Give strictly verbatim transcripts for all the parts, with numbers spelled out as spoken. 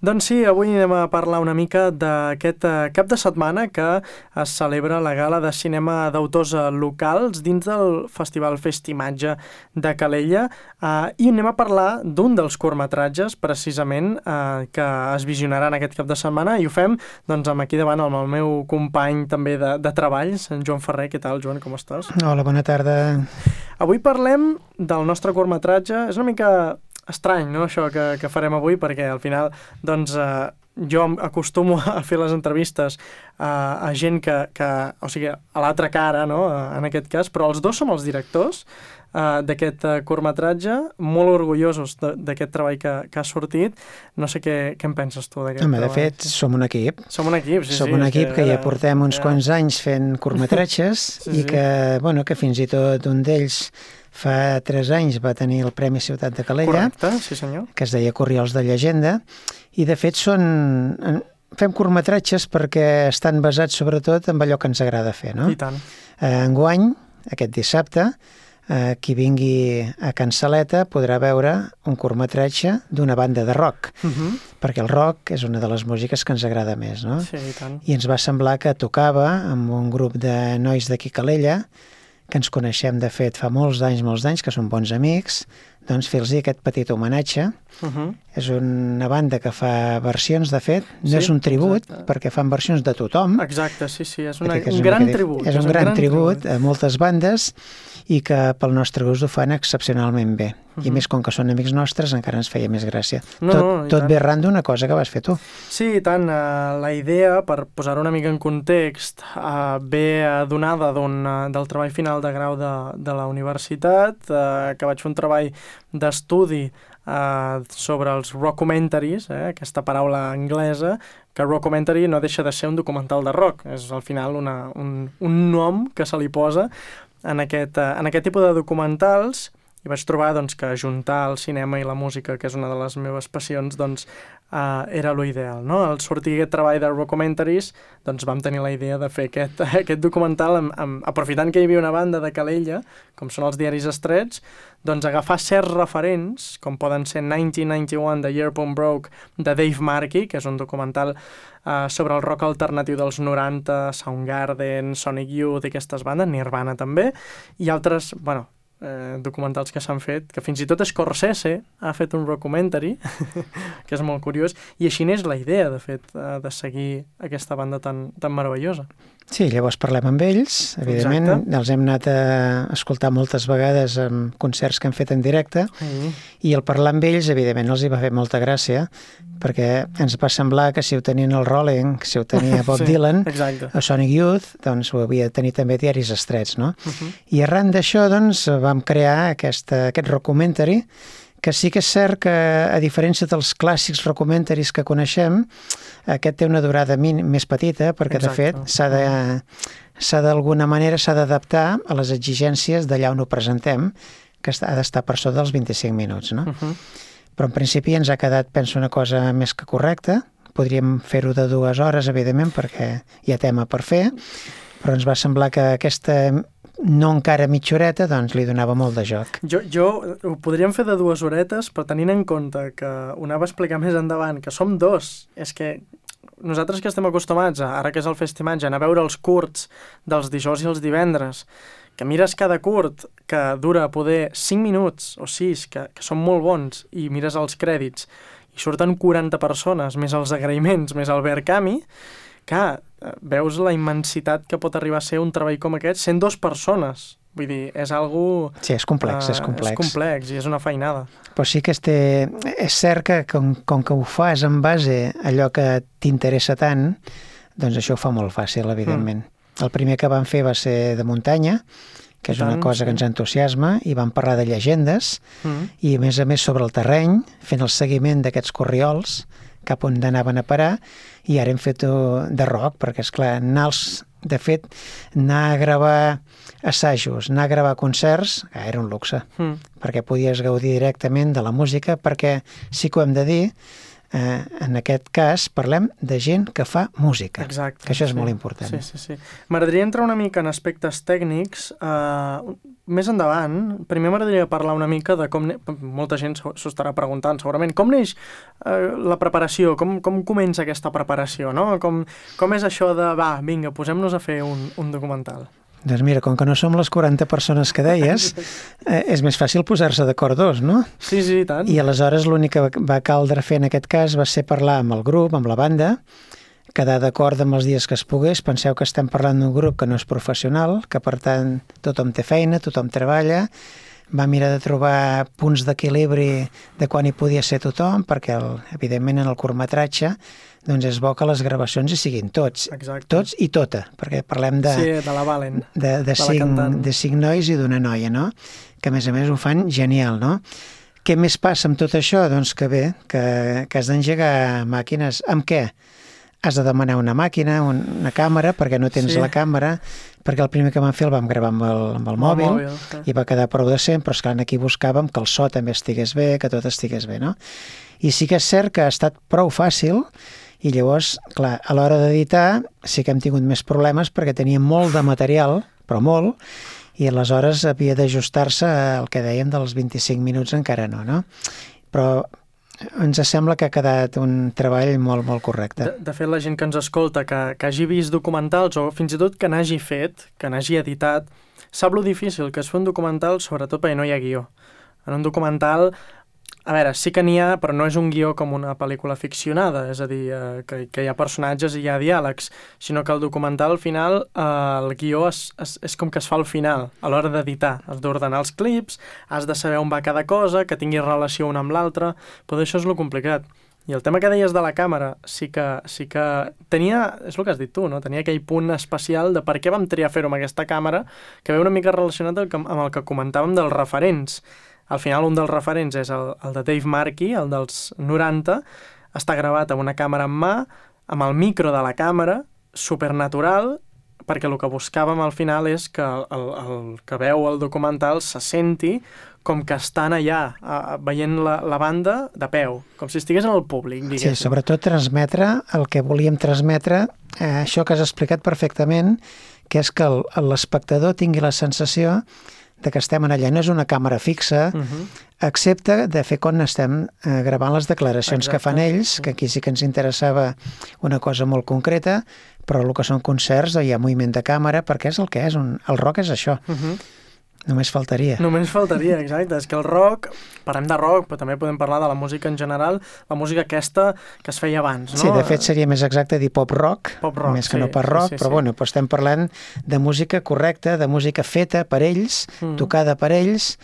Doncs sí, avui anem a parlar una mica d'aquest cap de setmana que es celebra la gala de cinema d'autors locals dins del Festival Festimatge de Calella eh, i anem a parlar d'un dels curtmetratges precisament eh, que es visionaran aquest cap de setmana i ho fem doncs amb aquí davant amb el meu company també de, de treballs, en Joan Ferrer. Què tal, Joan, com estàs? Hola, bona tarda. Avui parlem del nostre curtmetratge. És una mica estrany, no?, això que, que farem avui, perquè al final, doncs, eh, jo acostumo a fer les entrevistes eh, a gent que, que, o sigui, a l'altra cara, no?, en aquest cas, però els dos som els directors eh, d'aquest curtmetratge, molt orgullosos d'aquest treball que, que ha sortit. No sé què, què en penses tu d'aquest Home, treball. de fet, som un equip. Som un equip, sí, som sí. Som un equip que, que ja portem uns ja... quants anys fent curtmetratges sí, i que, sí. bueno, que fins i tot un d'ells fa tres anys va tenir el Premi Ciutat de Calella. Correcte, sí senyor. Que es deia Corriols de Llegenda, i de fet són... fem curtmetratges perquè estan basats sobretot en allò que ens agrada fer, no? I tant. Eh, enguany, aquest dissabte, eh, qui vingui a Can Saleta podrà veure un curtmetratge d'una banda de rock, Uh-huh. perquè el rock és una de les músiques que ens agrada més, no? Sí, i tant. I ens va semblar que tocava amb un grup de nois d'aquí Calella, que ens coneixem, de fet, fa molts d'anys, molts d'anys, que són bons amics, doncs fer-los aquest petit homenatge. Uh-huh. És una banda que fa versions, de fet, no Sí, és un tribut, exacte. perquè fan versions de tothom. Exacte, sí, sí, és, una, és un una gran mica, tribut. És un, un gran, gran tribut, tribut a moltes bandes i que pel nostre gust ho fan excepcionalment bé. Uh-huh. I més com que són amics nostres encara ens feia més gràcia. No, tot no, tot ve arran d'una cosa que vas fer tu. Sí, i tant. Uh, la idea, per posar-ho una mica en context, uh, ve donada d'un, uh, del treball final de grau de, de la universitat, uh, que vaig fer un treball d'estudi uh, sobre els rockumentaries, eh, aquesta paraula anglesa, que rockumentary no deixa de ser un documental de rock. És al final una, un, un nom que se li posa en aquest, uh, en aquest tipus de documentals. I vaig trobar doncs, que ajuntar el cinema i la música, que és una de les meves passions, doncs, uh, era l'ideal, no? Al sortir aquest treball de rockumentaries, doncs vam tenir la idea de fer aquest, aquest documental, amb, amb, aprofitant que hi havia una banda de Calella, com són els diaris Estrets, doncs agafar certs referents, com poden ser nineteen ninety-one, The Year Punk Broke, de Dave Markey, que és un documental uh, sobre el rock alternatiu dels noranta, Soundgarden, Sonic Youth i aquestes bandes, Nirvana també, i altres, bueno, Eh, documentals que s'han fet, que fins i tot Scorsese ha fet un rockumentary, que és molt curiós, i així n'és la idea, de fet, eh, de seguir aquesta banda tan, tan meravellosa. Sí, llavors parlem amb ells, evidentment. Exacte. Els hem anat a escoltar moltes vegades en concerts que hem fet en directe, mm. i al parlar amb ells, evidentment, els hi va fer molta gràcia, perquè ens va semblar que si ho tenien el Rolling, si ho tenia Bob sí, Dylan, exacte. o Sonic Youth, doncs ho havia de tenir també diaris Estrets, no? Uh-huh. I arran d'això, doncs, vam crear aquesta, aquest rockumentary, que sí que és cert que, a diferència dels clàssics rockumentaries que coneixem, aquest té una durada min, més petita, perquè, exacte. De fet, s'ha de, s'ha d'alguna manera s'ha d'adaptar a les exigències d'allà on ho presentem, que ha d'estar per sota dels vint-i-cinc minuts, no? Uh-huh. Però en principi ens ha quedat, penso, una cosa més que correcta. Podríem fer-ho de dues hores, evidentment, perquè hi ha tema per fer, però ens va semblar que aquesta no encara mitja horeta, doncs li donava molt de joc. Jo, jo ho podríem fer de dues horetes, però tenint en compte que ho anava a explicar més endavant, que som dos, és que nosaltres que estem acostumats, a, ara que és el Festimatge, a anar a veure els curts dels dijous i els divendres, que mires cada curt que dura poder cinc minuts o sis, que, que són molt bons, i mires els crèdits, i surten quaranta persones, més els agraïments, més el Verkami, que veus la immensitat que pot arribar a ser un treball com aquest sent dues persones. Vull dir, és algo... Sí, és complex, uh, és complex. És complex i és una feinada. Però sí que este, és cert que com, com que ho fas en base a allò que t'interessa tant, doncs això ho fa molt fàcil, evidentment. Mm. El primer que vam fer va ser de muntanya, que és tant, una cosa sí. que ens entusiasma, i vam parlar de llegendes, mm. i a més a més sobre el terreny, fent el seguiment d'aquests corriols, cap on anaven a parar, i ara hem fet de rock, perquè, esclar, anar als, de fet, anar a gravar assajos, anar a gravar concerts, era un luxe, mm. perquè podies gaudir directament de la música, perquè sí que ho hem de dir, Eh, en aquest cas parlem de gent que fa música, Exacte, que això és sí. molt important. Sí, sí, sí. M'agradaria entrar una mica en aspectes tècnics. Uh, més endavant, primer m'agradaria parlar una mica de com... Ne... Molta gent s'ho estarà preguntant, segurament. Com neix uh, la preparació? Com, com comença aquesta preparació, no? Com, com és això de, va, vinga, posem-nos a fer un, un documental? Doncs mira, com que no som les quaranta persones que deies, eh, és més fàcil posar-se d'acord dos, no? Sí, sí, i tant. I aleshores l'únic que va caldre fer en aquest cas va ser parlar amb el grup, amb la banda, quedar d'acord amb els dies que es pogués. Penseu que estem parlant d'un grup que no és professional, que per tant tothom té feina, tothom treballa, va mirar de trobar punts d'equilibri de quan hi podia ser tothom, perquè el, evidentment en el curtmetratge doncs és bo que les gravacions hi siguin tots, Exacte. tots i tota, perquè parlem de, sí, de la Valen, de, de, de cinc, de cinc nois i d'una noia, no? Que a més a més ho fan genial, no? Què més passa amb tot això? Doncs que bé, que, que has d'engegar màquines. Amb què? Has de demanar una màquina, una càmera, perquè no tens sí. la càmera, perquè el primer que vam fer el vam gravar amb el, amb el amb mòbil, el mòbil sí. i va quedar prou decent, però esclar, aquí buscàvem que el so també estigués bé, que tot estigués bé, no? I sí que és cert que ha estat prou fàcil, i llavors, clar, a l'hora d'editar sí que hem tingut més problemes perquè teníem molt de material, però molt, i aleshores havia d'ajustar-se al que dèiem dels vint-i-cinc minuts encara no, no? Però ens sembla que ha quedat un treball molt, molt correcte. De, de fet, la gent que ens escolta, que, que hagi vist documentals o fins i tot que n'hagi fet, que n'hagi editat, sap lo difícil que és fer un documental, sobretot perquè no hi ha guió. En un documental, a veure, sí que n'hi ha, però no és un guió com una pel·lícula ficcionada, és a dir, eh, que, que hi ha personatges i hi ha diàlegs, sinó que el documental al final, eh, el guió és, és, és com que es fa al final, a l'hora d'editar. Has d'ordenar els clips, has de saber on va cada cosa, que tingui relació una amb l'altra, però això és lo complicat. I el tema que deies de la càmera, sí que, sí que tenia, és el que has dit tu, no? Tenia aquell punt especial de per què vam triar fer-ho amb aquesta càmera, que ve una mica relacionat amb el que comentàvem dels referents. Al final, un dels referents és el, el de Dave Markey, el dels noranta, està gravat amb una càmera en mà, amb el micro de la càmera, supernatural, perquè el que buscàvem al final és que el, el que veu el documental se senti com que estan allà, a, veient la, la banda de peu, com si estigués en el públic, diguéssim. Sí, sobretot transmetre el que volíem transmetre, eh, això que has explicat perfectament, que és que l'espectador tingui la sensació de que estem allà, no és una càmera fixa, uh-huh. excepte de fer quan estem eh, gravant les declaracions Exacte. Que fan ells, que aquí sí que ens interessava una cosa molt concreta, però el que són concerts hi ha moviment de càmera, perquè és el que és, un, el rock és això. Uh-huh. Només faltaria. Només faltaria, exacte. És que el rock, parlem de rock, però també podem parlar de la música en general, la música aquesta que es feia abans, no? Sí, de fet seria més exacte dir pop rock, pop rock més que sí, no per rock, sí, sí, però sí. bueno, però estem parlant de música correcta, de música feta per ells, mm. tocada per ells.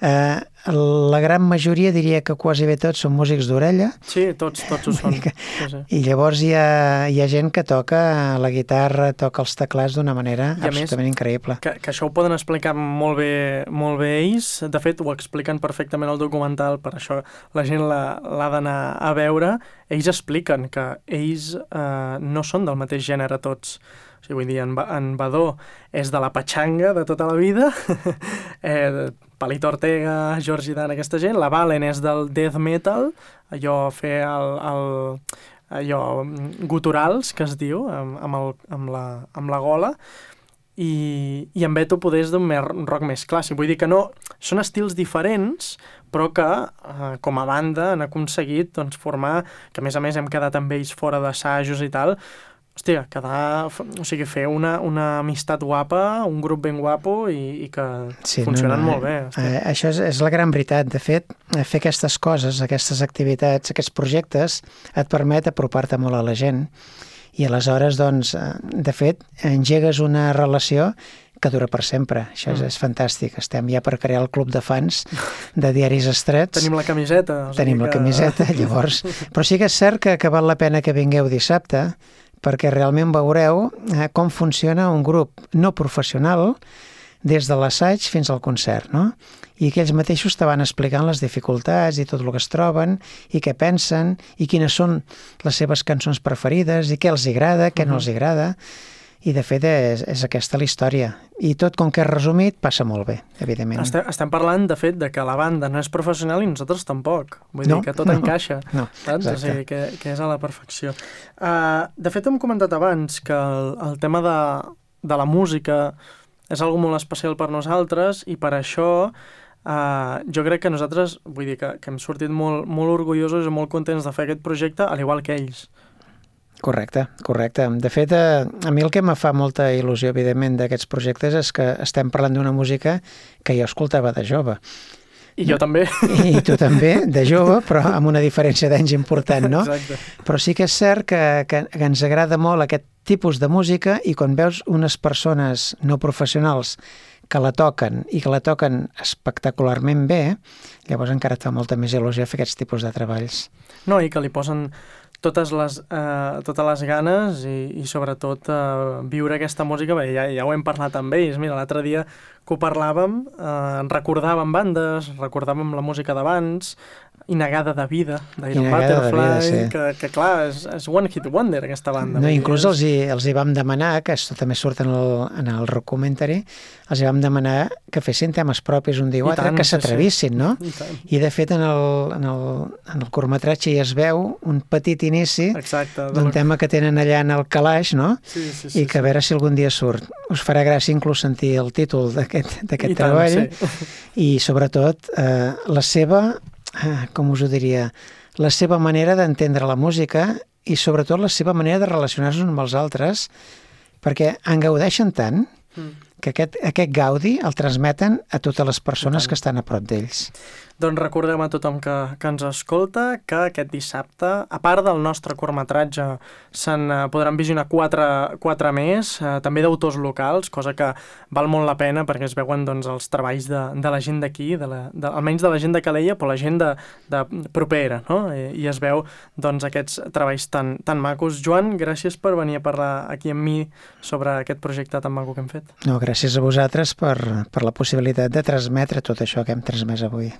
Eh, la gran majoria, diria que quasi bé tots són músics d'orella. Sí, tots, tots ho són. Que, sí, sí. I llavors hi ha, hi ha gent que toca la guitarra, toca els teclats d'una manera I absolutament més, increïble. Que, que això ho poden explicar molt bé, molt bé ells. De fet, ho expliquen perfectament al documental, per això la gent l'ha d'anar a veure. Ells expliquen que ells eh, no són del mateix gènere tots. O sigui, vull dir, en, en Badó és de la patxanga de tota la vida, eh, Palito Ortega, George Dan, aquesta gent. La Valen és del death metal, allò fer el, el, allò guturals, que es diu, amb, amb, el, amb, la, amb la gola, i, i en Beto poder és d'un rock més clàssic. Vull dir que no, són estils diferents, però que eh, com a banda han aconseguit doncs, formar, que a més a més hem quedat amb ells fora d'assajos i tal, hòstia, quedar, o sigui, fer una, una amistat guapa, un grup ben guapo i, i que sí, funcionen no, no, molt bé. Eh, això és, és la gran veritat. De fet, fer aquestes coses, aquestes activitats, aquests projectes, et permet apropar-te molt a la gent i aleshores, doncs, de fet, engegues una relació que dura per sempre. Això és, mm. és fantàstic. Estem ja per crear el club de fans de Diaris Estrets. Tenim la camiseta. O sigui Tenim que... la camiseta, llavors. Però sí que és cert que, que val la pena que vingueu dissabte, perquè realment veureu eh, com funciona un grup no professional des de l'assaig fins al concert, no? I que ells mateixos te van explicant les dificultats i tot el que es troben i què pensen i quines són les seves cançons preferides i què els agrada, què uh-huh. no els agrada. i de fet és, és aquesta la història. I tot com que és resumit passa molt bé, evidentment. Estem, estem parlant, de fet, de que la banda no és professional i nosaltres tampoc. Vull no, dir que tot no, encaixa. No, saps? O sigui, que, que és a la perfecció. Uh, de fet, hem comentat abans que el, el tema de, de la música és algo molt especial per nosaltres i per això uh, jo crec que nosaltres, vull dir que, que hem sortit molt, molt orgullosos i molt contents de fer aquest projecte, al igual que ells. Correcte, correcte. De fet, a, a mi el que me fa molta il·lusió, evidentment, d'aquests projectes és que estem parlant d'una música que jo escoltava de jove. I jo també. I tu també, de jove, però amb una diferència d'anys important, no? Exacte. Però sí que és cert que, que, que ens agrada molt aquest tipus de música i quan veus unes persones no professionals que la toquen i que la toquen espectacularment bé, llavors encara et fa molta més il·lusió fer aquests tipus de treballs. No, i que li posen totes les, eh, totes les ganes i, i sobretot eh, viure aquesta música, bé, ja, ja ho hem parlat amb ells, mira, l'altre dia que ho parlàvem, eh, recordàvem bandes, recordàvem la música d'abans, Inagada de vida, d'Iron Butterfly, vida, sí. que, que clar, és, és One Hit Wonder aquesta banda. No, inclús els hi, els hi vam demanar, que això també surt en el, en el documentari, els hi vam demanar que fessin temes propis un dia o altre, que s'atrevissin, sí, sí. no? I, I de fet en el, en el, en el curtmetratge ja es veu un petit inici d'un tema que tenen allà en el calaix, no? Sí, sí, sí, I que a veure si algun dia surt. Us farà gràcia inclús sentir el títol d'aquest treball tant, sí. I sobretot eh, la seva, eh, com us ho diria, la seva manera d'entendre la música i sobretot la seva manera de relacionar-se amb els altres, perquè en gaudeixen tant mm. que aquest, aquest gaudi el transmeten a totes les persones que estan a prop d'ells. Doncs recordem a tothom que, que ens escolta que aquest dissabte, a part del nostre curtmetratge, se'n podran visionar quatre, quatre més, eh, també d'autors locals, cosa que val molt la pena perquè es veuen doncs, els treballs de, de la gent d'aquí, de la, de, almenys de la gent de Calella, però la gent de, de propera, no? I, i es veu doncs, aquests treballs tan, tan macos. Joan, gràcies per venir a parlar aquí amb mi sobre aquest projecte tan maco que hem fet. No, gràcies a vosaltres per, per la possibilitat de transmetre tot això que hem transmès avui.